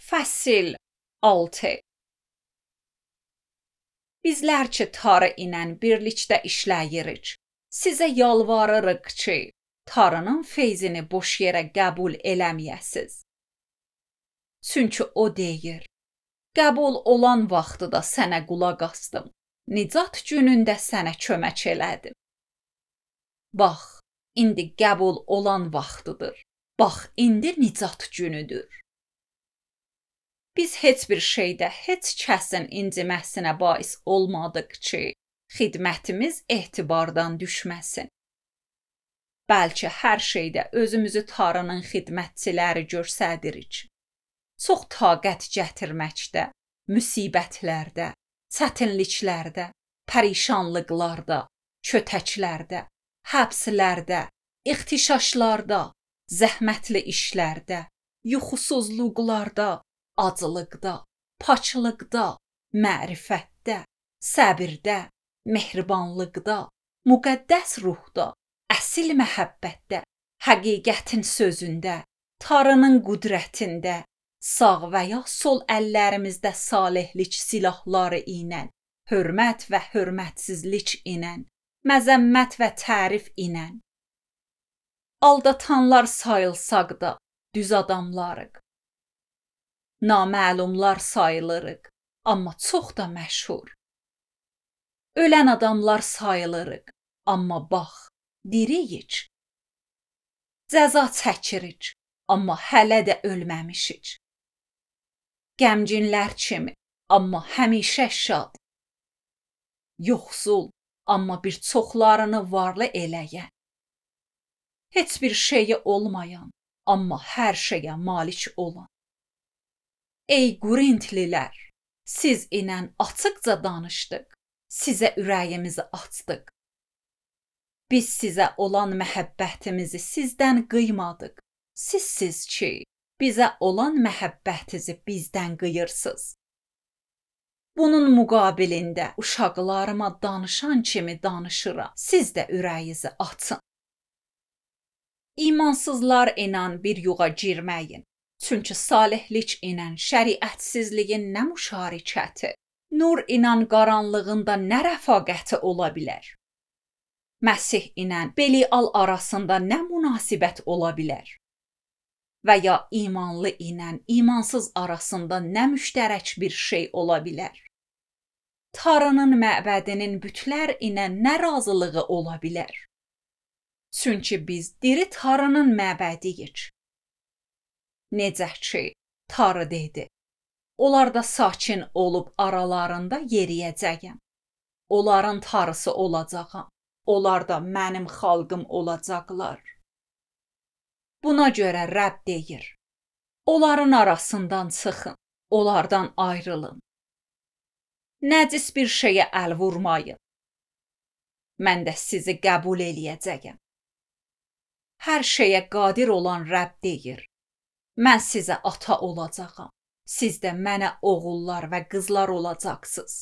Fəsil 6. Bizlər ki, Tarı ilə birlikdə işləyirik, sizə yalvarırıq ki, Tarının feyzini boş yerə qəbul eləməyəsiz. Çünki o deyir, qəbul olan vaxtıda sənə qulaq asdım, nicat günündə sənə kömək elədim. Bax, indi qəbul olan vaxtıdır, bax, indi nicat günüdür. Biz heç bir şeydə heç kəsin inciməsinə bais olmadıq ki, xidmətimiz etibardan düşməsin. Bəlkə hər şeydə özümüzü Tarının xidmətçiləri göstəririk. Çox taqət gətirməkdə, müsibətlərdə, çətinliklərdə, pərişanlıqlarda, kötəklərdə, həbslərdə, ixtişaşlarda, zəhmətli işlərdə, yuxusuzluqlarda, acılıqda, paçlıqda, mərifətdə, səbirdə, mehribanlıqda, müqəddəs ruhda, əsil məhəbbətdə, həqiqətin sözündə, Tarının qüdrətində, sağ və ya sol əllərimizdə salihlik silahları ilə, hörmət və hörmətsizlik ilə, məzəmmət və tərif ilə. Aldatanlar sayılsaq da düz adamlarıq. Naməlumlar sayılırıq, amma çox da məşhur. Ölən adamlar sayılırıq, amma bax, diriyik. Cəza çəkirik, amma hələ də ölməmişik. Qəmginlər kimi, amma həmişə şad. Yoxsul, amma bir çoxlarını varlı eləyən. Heç bir şeyi olmayan, amma hər şeyə malik olan. Ey Qorintlilər, siz ilə açıqca danışdıq, sizə ürəyimizi açdıq. Biz sizə olan məhəbbətimizi sizdən qıymadıq. Sizsiz ki, bizə olan məhəbbətinizi bizdən qıyırsınız. Bunun müqabilində uşaqlarıma danışan kimi danışıram, siz də ürəyinizi açın. İmansızlar ilə bir yuğa girməyin. Çünki salihlik ilə şəriətsizliyin nə müşarikəti, nur ilə qaranlığın da nə rəfaqəti ola bilər? Məsih ilə Belial arasında nə münasibət ola bilər? Və ya imanlı ilə imansız arasında nə müştərək bir şey ola bilər? Tarının məbədinin bütlər ilə nə razılığı ola bilər? Çünki biz diri Tarının məbədiyik. Necə ki, Tarı dedi, onlarda sakin olub aralarında yeriyəcəyəm. Onların Tarısı olacağam, onlar da mənim xalqım olacaqlar. Buna görə Rəbb deyir, onların arasından çıxın, onlardan ayrılın. Nəcis bir şeyə əl vurmayın. Mən də sizi qəbul eləyəcəyəm. Hər şeyə qadir olan Rəbb deyir, mən sizə ata olacağam, siz də mənə oğullar və qızlar olacaqsınız.